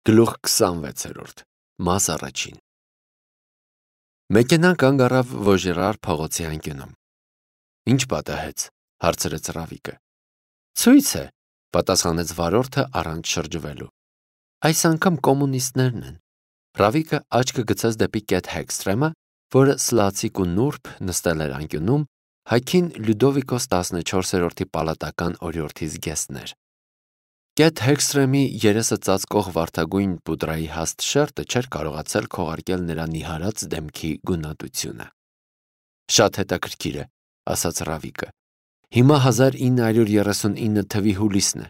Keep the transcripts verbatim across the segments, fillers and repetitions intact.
Գլուխ քսանվեցերորդ Մաս առաջին Մեքենան կանգ առավ Վոժերար փողոցի անկյունում։ Ինչ պատահեց, հարցրեց Ռավիկը։ Ցույց է, պատասխանեց վարորդը առանց շրջվելու։ Այս անգամ կոմունիստներն են։ Ռավիկը աչքը գցեց դեպի Կեթ Հեքստրեմը, որը սլացիկ ու նուրբ նստել էր անկյունում, հագին Լյուդովիկոս տասնչորսերորդի պալատական օրիորդի զգեստներ։ Կեթ Հեքստրեմի երեսը ծածկող վարդագույն պուդրայի հաստ շերտը չէր կարողացել քողարկել նրա նիհարած դեմքի գունատությունը։ Շատ հետաքրքիր է, ասաց Ռավիկը։ Հիմա հազար ինը հարյուր երեսունինը թվականի հուլիսն է։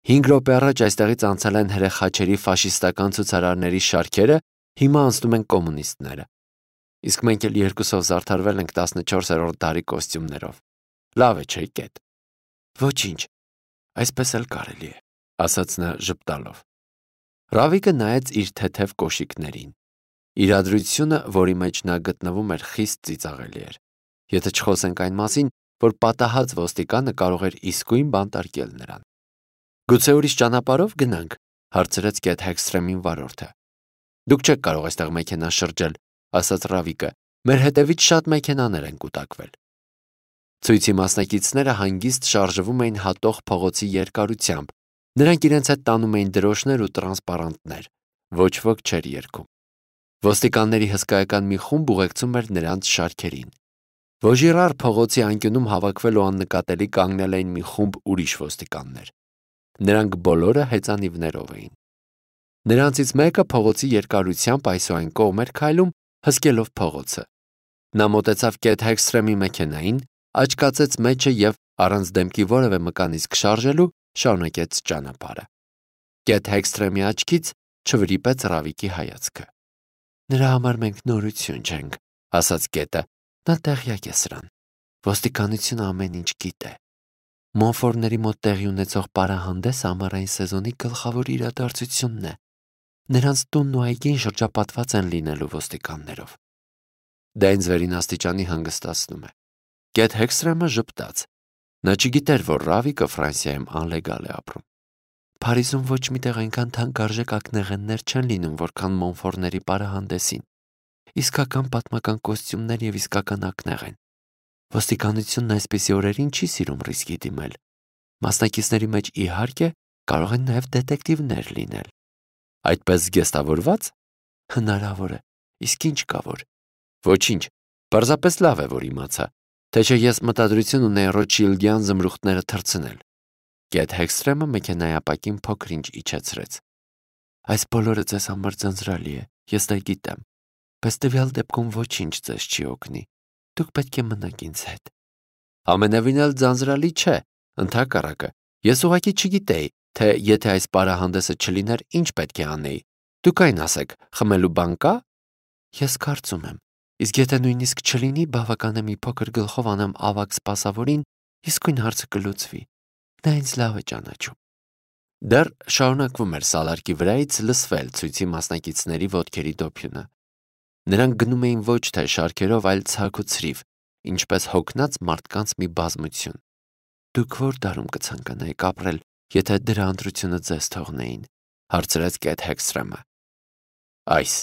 Հինգ րոպե առաջ այստեղից անցել են հրեխաչերի ֆաշիստական ցուցարարների շարքերը, հիմա անցնում են կոմունիստները։ Իսկ մենք էլ երկուսով զարդարվել ենք տասնչորսերորդ դարի կոստյումներով։ Լավ է, չէ՞ Կեթ։ Ոչինչ, այսպես էլ կարելի է, ասաց նա ժպտալով։ Ռավիկը նայեց իր թեթև կոշիկներին։ Իրադրությունը, որի մեջ նա գտնվում էր, խիստ ծիծաղելի էր։ Եթե չխոսենք այն մասին, որ պատահած ոստիկանը կարող էր իսկույն բանտարկել նրան։ Գուցե ուրիշ ճանապարհով գնանք, հարցրեց Կեթ Հեքստրեմին վարորդը։ Դուք չեք կարող այստեղ մեքենա շրջել, ասաց Ռավիկը։ Մեր հետևից շատ մեքենաներ են կուտակվել։ Ցույցի մասնակիցները հանգիստ շարժվում էին հատող փողոցի երկարությամբ։ Նրանք իրենց հետ տանում էին դրոշներ ու տրանսպարանտներ։ Ոչ ոք չէր երգում։ Ոստիկանների հսկայական մի խումբ ուղեկցում էր նրանց շարքերին։ Վոժիրար փողոցի անկյունում հավաքվել ու աննկատելի կանգնել էին մի խումբ ուրիշ ոստիկաններ։ Նրանք բոլորը հեծանիվներով էին։ Նրանցից մեկը փողոցի երկարությամբ այսուայն կողմ էր քայլում, հսկելով փողոցը։ Նա մոտեցավ Կեթ Հեքստրեմի մեքենային, աչքացեց մեջը եւ առանց դեմքի որևէ մկանիսկ շարժելու շարունակեց ճանապարհը։ Կեթ Հեքստրեմի աչքից չվրիպեց Ռավիկի հայացքը։ Նրա համար մենք նորություն չենք, ասաց Կետը։ Նա տեղյակ է սրան։ Ոստիկանությունը ամեն ինչ գիտե։ Մոնֆորների մոտ տեղի ունեցող պարահանդեսը ամառային սեզոնի գլխավոր իրադարձությունն է։ Նրանց տունն ու այգին շրջապատված են լինելու ոստիկաններով։ Դա ինձ վերին աստիճանի հանգստացնում է։ Կեթ Հեքստրեմը ժպտաց։ Նա չգիտեր, որ Ռավիկը Ֆրանսիայում անլեգալ է ապրում։ Փարիզում ոչ միտեղ այնքան թանկարժեք ակնեղեններ չեն լինում, որքան մոնֆորների պարահանդեսին։ Իսկական պատմական կոստյումներ եւ իսկական ակնեղեն։ Ոստիկանությունն այսպիսի օրերին չի սիրում ռիսկի դիմել։ Մասնակիցների մեջ իհարկե կարող են նաեւ դետեկտիվներ լինել։ Այդպես զգեստավորված հնարավոր է։ Իսկ ինչ կա որ։ Ոչինչ, պարզապես լավ է, որ իմացա, թե չէ ես մտադրություն ունեի Ռոթշիլդյան զմրուխտները թռցնել։ Կեթ Հեքստրեմը մեքենայի ապակին փոքր-ինչ իջեցրեց։ Այս բոլորը ձեզ համար ձանձրալի է, ես դա գիտեմ, բայց տվյալ դեպքում ոչինչ ձեզ չի օգնի։ Դուք պետք է մնաք ինձ հետ։ Ամենևին էլ ձանձրալի չէ, ընդհակառակը, ես ուղղակի չգիտեի, թե եթե այս պարահանդեսը չլիներ, ինչ պետք է անեի։ Դուք այն ասեք, խմելու բան կա։ Ես կարծում եմ, իսկ եթե նույնիսկ չլինի, բավական է մի փոքր գլխով անեմ ավագ սպասավորին, իսկույն հարցը կլուծվի։ Նա ինձ լավ է ճանաչում։ Դեռ շարունակվում էր սալարկի վրայից լսվել ցույցի մասնակիցների ոտքերի դոփյունը։ Նրանք գնում էին ոչ թե շարքերով, այլ ցակ ու ցրիվ, ինչպես հոգնած մարդկանց մի բազմություն։ Դուք ո՞ր դարում կցանկանայիք ապրել, եթե դրա ընտրությունը ձեզ թողնեին, հարցրեց Կեթ Հեքստրեմը։ Այս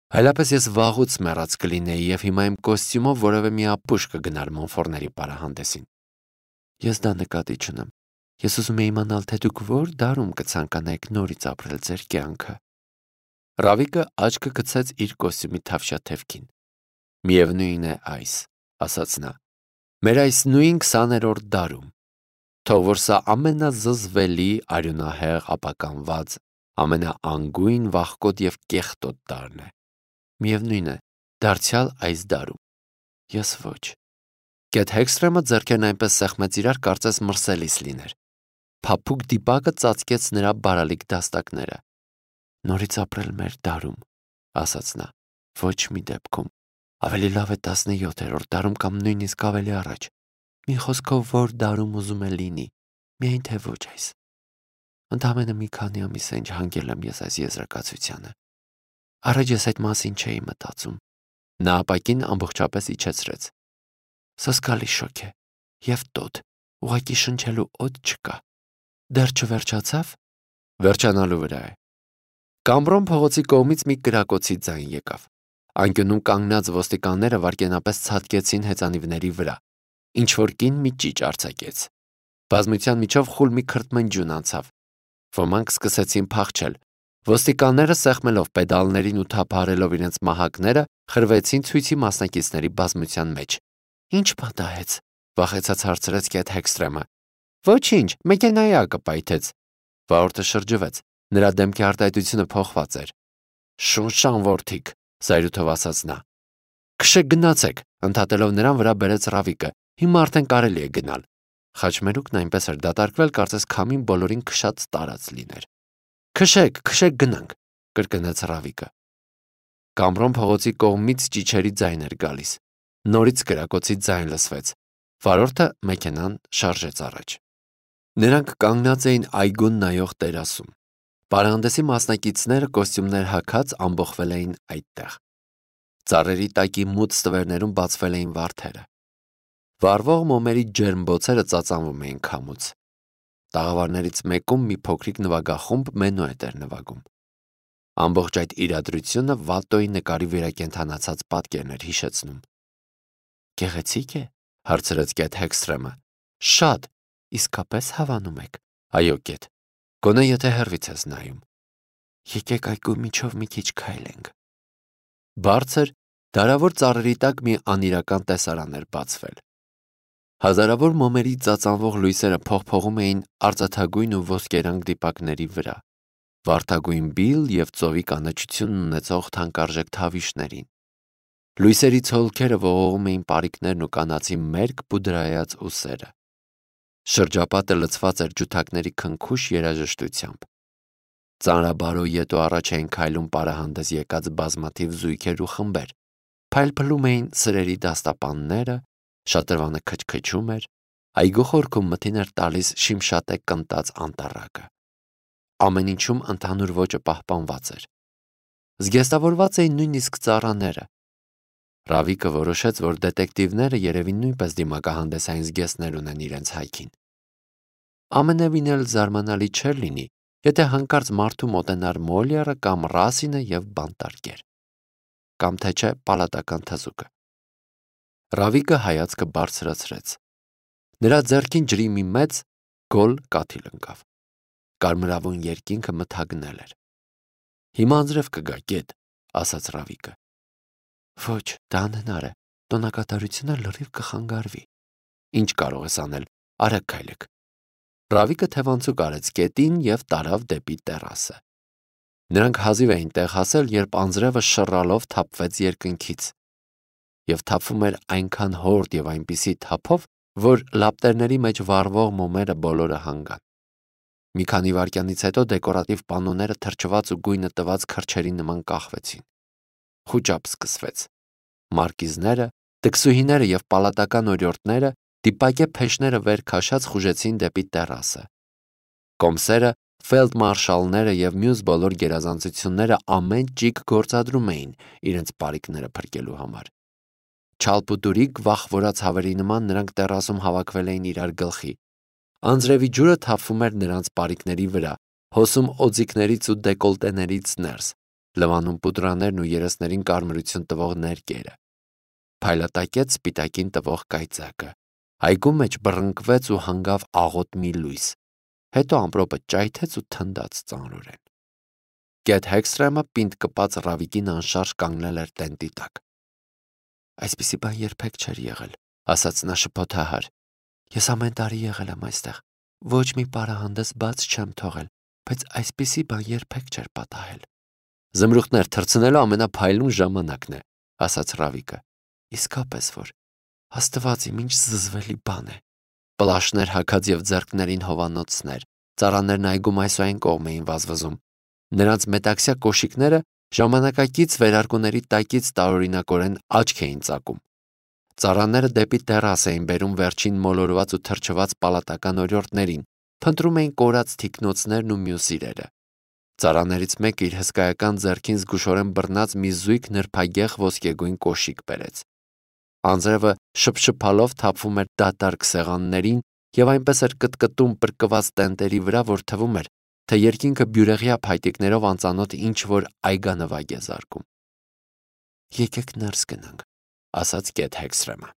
Հայլապես ես վաղուց մեռած կլինեի եւ հիմա իմ կոստյումով որևէ մի ապուշ կգնար մոնֆորների պարահանդեսին։ Ես դա նկատի չունեմ։ Ես ուզում եմ իմանալ, թե դուք ո՞ր դարում կցանկանայիք նորից ապրել ձեր կյանքը։ Ռավիկը աչքը գցեց իր կոստյումի թավշյաթևքին։ Միևնույն է այս, ասաց նա։ Մեր այս նույն քսաներորդ դարում։ Թող որ սա ամենազզվելի, արյունահեղ, ապականված, ամենաանգույն, վախկոտ եւ կեղտոտ դարն է։ Միևնույն է, դարձյալ այս դարում։ Ես ոչ։ Կեթ Հեքստրեմը ձեռքերն այնպես սեղմեց իրար, կարծես մրսելիս լիներ։ Փափուկ դիպակը ծածկեց նրա բարալիկ դաստակները։ Նորից ապրել մեր դարում, ասաց նա։ Ոչ մի դեպքում։ Ավելի լավ է տասնյոթերորդ դարում կամ նույնիսկ ավելի առաջ։ Մի խոսքով որ դարում ուզում է լինի, միայն թե ոչ այս։ Ընդամենը մի քանի ամիս է ինչ հանգել եմ ես այս եզրակացությանը։ Առաջ ես այդ մասին չէի մտածում։ Նա ապակին ամբողջապես իջեցրեց։ Սոսկալի շոկ է։ Եվ տոտ, ուղղակի շնչելու օդ չկա։ Դեռ չվերջացավ։ Վերջանալու վրա է։ Կամբրոն փողոցի կողմից մի կրակոցի ձայն եկավ։ Անկյունում կանգնած ոստիկանները վայրկենապես ցատկեցին հեծանիվների վրա։ Ինչ որ կին մի ճիճ արձակեց։ Բազմության միջով խուլ մի քրթմնջյուն անցավ։ Ոմանք սկսեցին փախչել։ Ոստիկանները սեղմելով պեդալներին ու թափահարելով իրենց մահակները, խրվեցին ցույցի մասնակիցների բազմության մեջ։ Ինչ պատահեց, վախեցած հարցրեց Կեթ Հեքսթրեմը։ Ոչինչ, մեքենայի ակը պայթեց։ Վարորդը շրջվեց։ Նրա դեմքի արտահայտությունը փոխված էր։ Շունշան որդիկ, զայրույթով ասաց նա։ Քշեք գնացեք, ընդհատելով նրան վրա բերեց Ռավիկը։ Հիմա արդեն կարելի է գնալ։ Խաչմերուկն այնպես էր դատարկվել, կարծես քամին բոլորին քշած տարած լիներ։ Քշեք, քշեք գնանք, կրկնեց Ռավիկը։ Կամբրոն փողոցի կողմից ճիչերի ձայն էր գալիս։ Նորից կրակոցի ձայն լսվեց։ Վարորդը մեքենան շարժեց առաջ։ Նրանք կանգնած էին այգուն նայող տերասում։ Պարահանդեսի մասնակիցները կոստյումներ հագած ամբողվել էին այդտեղ։ Ծառերի տակի մութ ստվերներում բացվել էին վարդերը։ Վառվող մոմերի ջերմ բոցերը ծածանվում էին քամուց։ Տաղավարներից մեկում մի փոքրիկ նվագախումբ մենուետ էր նվագում։ Ամբողջ այդ իրադրությունը Վալտոյի նկարի վերակենդանացած պատկերն էր հիշեցնում։ Գեղեցիկ է, հարցրեց Կեթ Հեքսթրեմը։ Շատ, իսկապես հավանում եք։ Այո, Կեթ, գոնե եթե հեռվից ես նայում։ Եկեք այգու միջով մի քիչ քայլենք։ Բարձր, դարավոր ծառերի տակ մի անիրական տեսարան էր բացվել։ Հազարավոր մոմերի ծածանվող լույսերը փողփողում էին արծաթագույն ու ոսկերանգ դիպակների վրա, վարդագույն բիլ և ծովի կանաչություն ունեցող թանկարժեք թավիշներին։ Լույսերի ցոլքերը ողողում էին պարիկներն ու կանացի մերկ պուդրայած ուսերը։ Շրջապատը լցված էր ջութակների քնքուշ երաժշտությամբ։ Ծանրաբարո ետո առաջ էին քայլում պարահանդես եկած բազմաթիվ զույգեր ու խմբեր, փայլփլում էին սրերի դաստապանները, շատրվանը քչքչում էր, այգու խորքում մթին էր տալիս շիմշատե կնտած անտառակը։ Ամեն ինչում ընդհանուր ոճը պահպանված էր։ Զգեստավորված էին նույնիսկ ծառաները։ Ռավիկը որոշեց, որ դետեկտիվները երևի նույնպես դիմակահանդեսային զգեստներ ունեն իրենց հայքին։ Ամենևին էլ զարմանալի չէր լինի, եթե հանկարծ մարդու մոտենար Մոլիերը կամ Ռասինը և բանտարկեր։ Կամ թե չէ պալատական թզուկը։ Ռավիկը հայացքը բարձրացրեց։ Նրա ձեռքին ջրի մի մեծ գոլ կաթիլ ընկավ։ Կարմրավուն երկինքը մթագնել էր։ Հիմա անձրև կգա, Կեթ, ասաց Ռավիկը։ Ոչ, դա անհնար է, տոնակատարությունը լրիվ կխանգարվի։ Ինչ կարող ես անել, արագ քայլեք։ Ռավիկը թևանցուկ արեց Կետին և տարավ դեպի տերասը։ Նրանք հազիվ էին տեղ հասել, երբ անձրևը շռալով թափվեց երկնքից և թափվում էր այնքան հորդ և այնպիսի թափով, որ լապտերների մեջ վառվող մոմերը բոլորը հանգան։ Մի քանի վայրկյանից հետո դեկորատիվ պանոները թրջված ու գույնը տված քրջերի նման կախվեցին։ Խուճապ սկսվեց։ Մարկիզները, տքսուհիները և պալատական օրիորդները դիպակե փեշները վեր քաշած խուժեցին դեպի տերասը։ Կոմսերը, ֆելդմարշալները և մյուս բոլոր գերազանցությունները ամեն ճիգ գործադրում էին իրենց պարիկները փրկելու համար։ Չալպուտուրիկ վախվորած հավերի նման նրանք տերասում հավաքվել էին իրար գլխի։ Անձրևի ջուրը թափվում էր նրանց պարիկների վրա, հոսում օձիքներից ու դեկոլտեներից ներս, լվանում պուդրաներն ու երեսներին կարմրություն տվող ներկերը։ Փայլատակեց սպիտակին տվող կայծակը։ Այգու մեջ բռնկվեց ու հանգավ աղոտ մի լույս, հետո ամպրոպը ճայթեց ու թնդաց ծանրորեն։ Կեթ Հեքսթրեմը պինդ կպած Ռավիկին անշարժ կանգնել էր տենտի տակ։ Այսպիսի բան երբեք չէր եղել, ասաց նա շփոթահար։ Ես ամեն տարի եղել եմ այստեղ, ոչ մի պարահանդես բաց չեմ թողել, բայց այսպիսի բան երբեք չէր պատահել։ Զմրուխտներ թռցնելու ամենափայլուն ժամանակն է, ասաց Ռավիկը։ Իսկապես որ, Աստված իմ ինչ զզվելի բան է։ Պլաշներ հագած և ձեռքներին հովանոցներ, ծառաներն այգում այս ու այն կողմ էին վազվզում։ Նրանց մետաքսյա կոշիկները ժամանակակից վերարկուների տակից տարօրինակորեն աչք էին ծակում։ Ծառաները դեպի տերաս էին բերում վերջին մոլորված ու թրջված պալատական օրիորդներին, փնտրում էին կորած թիկնոցներն ու մյուս իրերը։ Ծառաներից մեկը իր հսկայական ձեռքին զգուշորեն բռնած մի զույգ նրբագեղ ոսկեգույն կոշիկ բերեց։ Անձրևը շփշփալով թափվում էր դատարկ սեղաններին և այնպես էր կտկտում պրկված տենտերի վրա, որ թվում էր, թե երկինքը բյուրեղյա փայտիկներով անծանոթ ինչ-որ այգանվագ է զարկում։ «Եկեք ներս գնանք», ասաց Կեթ Հեքսթրեմը։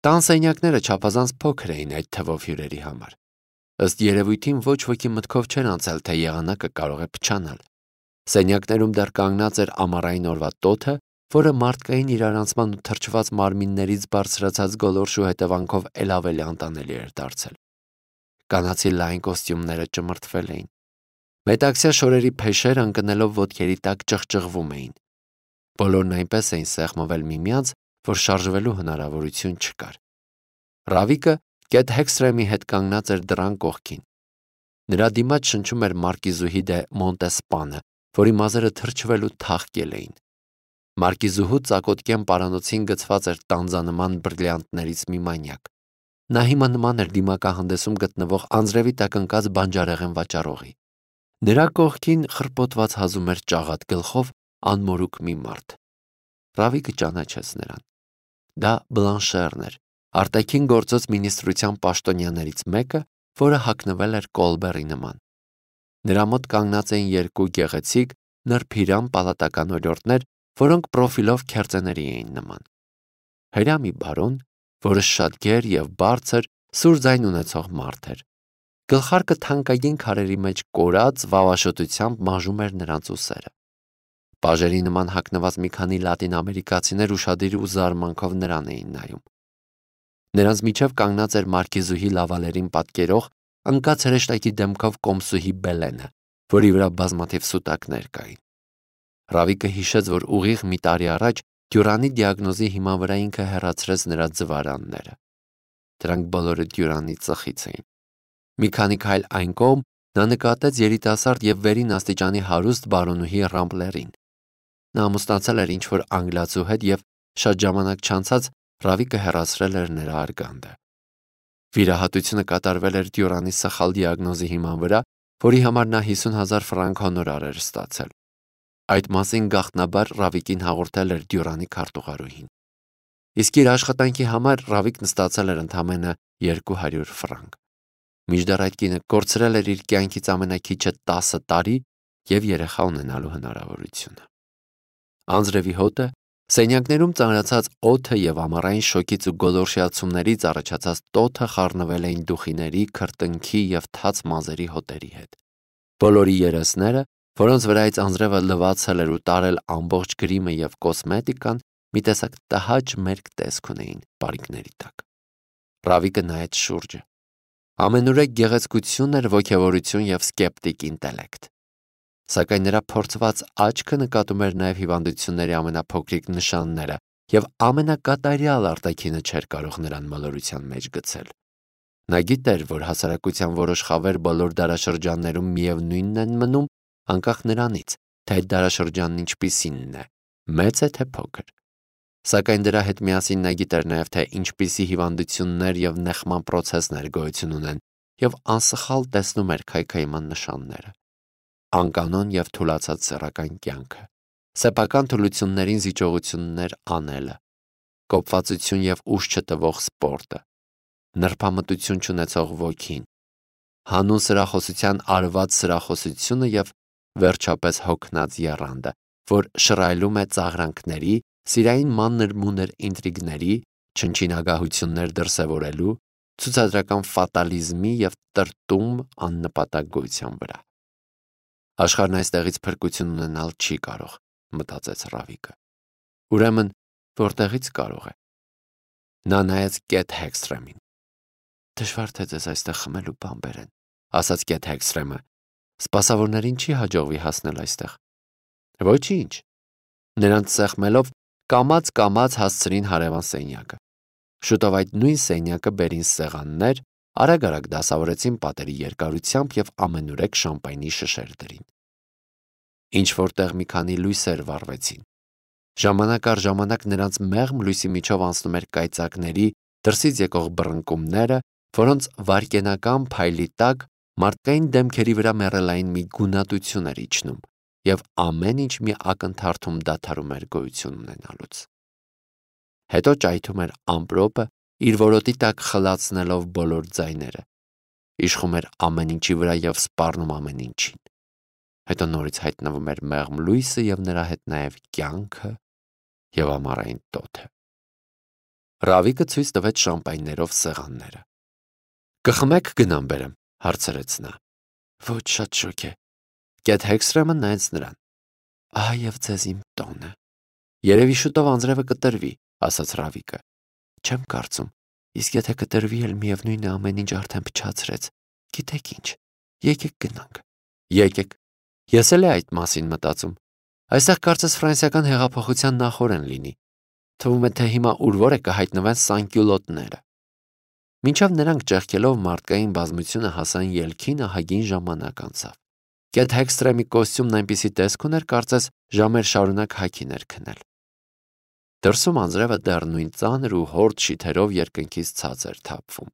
Տան սենյակները չափազանց փոքր էին այդ թվով հյուրերի համար։ Ըստ երևույթին ոչ ոքի մտքով չէր անցել, թե եղանակը կարող է փչանալ։ Սենյակներում դեռ կանգնած էր ամառային օրվա տոթը, որը մարդկային իրարանցման ու թրջված մարմիններից բարձրացած գոլորշու հետևանքով էլ ավելի անտանելի էր դարձել։ Կանացի լայն կոստյումները ճմրթվել էին։ Մետաքսյա շորերի փեշերը ընկնելով ոտքերի տակ ճղճղվում էին։ Բոլորն այնպես էին սեղմվել միմյանց, որ շարժվելու հնարավորություն չկար։ Ռավիկը Կեթ Հեքսթրեմի հետ կանգնած էր դռան կողքին։ Նրա դիմաց շնչում էր մարկիզուհի դե Մոնտեսպանը, որի մազերը թրջվել ու թաղկել էին։ Մարկիզուհու ծակոտկեն պարանոցին գցված էր տանձանման բրիլյանտներից մի մանյակ։ Նա հիմա նման էր դիմակահանդեսում գտնվող անձրևի տակ ընկած բանջարեղեն վաճառողի։ Նրա կողքին խրպոտված հազում էր ճաղատ գլխով անմորուք մի մարդ։ Ռավիկը ճանաչեց նրան։ Դա Բլանշերն էր, արտաքին գործոց մինիստրության պաշտոնյաներից մեկը, որը հագնվել էր Կոլբերի նման։ Նրա մոտ կանգնած էին երկու գեղեցիկ, նրբիրամ պալատական օրիորդներ, որոնք պրոֆիլով քերծեների էին նման։ Հրամի բարոն, որը շատ գեր և բարձր, սուր ձայն ունեցող մարդ էր։ Գլխարկը թանկագին քարերի մեջ կորած վավաշոտությամբ մաժում էր նրանց ուսերը։ Պաժերի նման հագնված մի քանի լատինամերիկացիներ ուշադիր ու զարմանքով նրան էին նայում։ Նրանց միջև կանգնած էր մարկիզուհի լավալերին պատկերող ընկած հրեշտակի դեմքով կոմսուհի Բելենը, որի վրա բազմաթիվ սուտակներ կային։ Ռավիկը հիշեց, որ ուղիղ մի տարի առաջ Դյուրանի դիագնոզի հիման վրա ինքը հեռացրեց նրա ձվարանները։ Դրանք բոլորը Դյուրանի ծխից էին։ Մի քանի քայլ այն կողմ նա նկատեց երիտասարդ և վերին աստիճանի հարուստ բարոնուհի Ռամպլերին։ Նա ամուսնացել էր ինչ-որ անգլիացու հետ և շատ ժամանակ չանցած Ռավիկը հեռացրել էր նրա արգանդը։ Վիրահատությունը կատարվել էր Դյուրանի սխալ դիագնոզի հիման վրա, որի համար նա հիսուն հազար ֆրանկ հոնորար էր ստացել։ Այդ մասին գաղտնաբար Ռավիկին հաղորդել էր Դյուրանի քարտուղարուհին։ Իսկ իր աշխատանքի համար Ռավիկն ստացել էր ընդամենը երկու հարյուր ֆրանկ։ Մինչդեռ այդ կինը կորցրել էր իր կյանքից ամենաքիչը տասը տարի և երեխա ունենալու հնարավորությունը։ Անձրևի հոտը, սենյակներում ծանրացած օդը և ամառային շոգից ու գոլորշիացումներից առաջացած տոթը խառնվել էին դուխիների, քրտինքի և թաց մազերի հոտերի հետ։ Բոլորի երեսները, որոնց վրայից անձրևը լվացել էր ու տարել ամբողջ գրիմը և կոսմետիկան, մի տեսակ տհաճ մերկ տեսք ունեին պարիկների տակ։ Ռավիկը նայեց շուրջը։ Ամենուրեք գեղեցկություն էր, ոգևորություն և սկեպտիկ ինտելեկտ։ Սակայն նրա փորձված աչքը նկատում էր նաև հիվանդությունների ամենափոքրիկ նշանները, և ամենակատարյալ արտաքինը չէր կարող նրան մոլորության մեջ գցել։ Նա գիտեր, որ հասարակության որոշ խավեր բոլոր դարաշրջաններում միևնույնն են մնում, անկախ նրանից, թե այդ դարաշրջանն ինչպիսինն է, մեծ է թե փոքր։ Սակայն դրա հետ միասին նա գիտեր նաև, թե ինչպիսի հիվանդություններ և նեղման պրոցեսներ գոյություն ունեն, և անսխալ տեսնում էր քայքայման նշանները։ Անկանոն և թուլացած սեռական կյանքը, սեփական թուլություններին զիջողություններ անելը, կոպվածություն և ուժ չտվող սպորտը, նրբամտություն չունեցող ոգին, հանուն սրախոսության արված սրախոսությունը և վերջապես հոգնած եռանդը, որ շռայլում է ծաղրանքների, սիրային մանր-մունր ինտրիգների, չնչին դրսևորելու, ցուցադրական ֆատալիզմի և տրտում աննպատակ գոյության վրա։ Աշխարհն այստեղից փրկություն ունենալ չի կարող, մտածեց Ռավիկը։ Ուրեմն, որտեղից կարող է։ Նա նայեց Կեթ Հեքսթրեմին։ Դժվար թե ձեզ այստեղ խմելու բան բերեն, ասաց Կեթ Հեքսթրեմը։ Սպասավորներին չի հաջողվի հասնել այստեղ։ Ոչինչ։ Նրանց սեղմելով կամաց-կամաց հասցրին հարևան սենյակը։ Շուտով այդ նույն սենյակը բերին սեղաններ, արագ-արագ դասավորեցին պատերի երկարությամբ և ամենուրեք շամպայնի շշեր դրին։ Ինչ-որ տեղ մի քանի լույսեր վառվեցին։ Ժամանակ առ ժամանակ նրանց մեղմ լույսի միջով անցնում էր կայծակների, դրսից եկող բռնկումները, որոնց վայրկենական փայլի տակ մարդկային դեմքերի վրա մեռելային մի գունատություն էր իջնում, և ամեն ինչ մի ակնթարթում դադարում էր գոյություն ունենալուց։ Հետո ճայթում էր ամպրոպը, իր որոտի տակ խլացնելով բոլոր ձայները։ իշխում էր ամեն ինչի վրա և սպառնում ամեն ինչին։ Հետո նորից հայտնվում էր մեղմ լույսը և նրա հետ նաև կյանքը և ամառային տոթը։ Ռավիկը ցույց տվեց շամպայներով սեղանները։ «Կխմեք գնամ բերեմ», հարցրեց նա։ «Ոչ, շատ շոգ է»։ Կեթ Հեքսթրեմը նայեց նրան։ «Ահա և ձեզ իմ տոնը»։ «Երևի շուտով անձրևը կտրվի», ասաց Ռավիկը։ «Չեմ կարծում, իսկ եթե կտրվի էլ միևնույն է ամեն ինչ արդեն փչացրեց։ Գիտեք ինչ, եկեք գնանք»։ «Եկեք»։ Ես էլ այդ մասին մտածում։ Այստեղ կարծես ֆրանսիական հեղափոխության նախօրեն լինի։ Թվում է, թե հիմա ուր-որ է կհայտնվեն սանկյուլոտները։ Մինչև նրանք ճեղքելով մարդկային բազմությունը հասան ելքին, ահագին ժամանակ անցավ։ Կեթ Հեքսթրեմի կոստյումն այնպիսի տեսք ուներ, կարծես ժամեր շարունակ հագին էր քնել։ Դրսում անձրևը դեռ նույն ծանր ու հորդ շիթերով երկնքից ցած էր թափվում։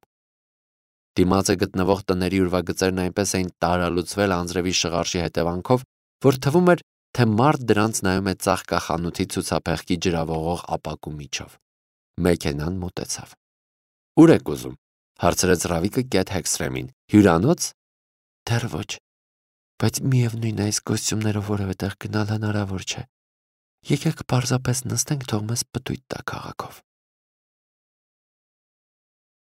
Դիմացը գտնվող տների ուրվագծերն այնպես էին տարալուծվել անձրևի շղարշի հետևանքով, որ թվում էր, թե մարդ դրանց նայում է ծաղկախանութի ցուցափեղկի ջրավողող ապակու միջով։ Մեքենան մոտեցավ։ «Ուր եք ուզում», հարցրեց Ռավիկը Կեթ Հեքսթրեմին։ «Հյուրանոց»։ «Դեռ ոչ, բայց միևնույն է այս կոստյումներով որևէ տեղ գնալ հնարավոր չէ։ Եկեք պարզապես նստենք, թող մեզ պտույտ տա քաղաքով»։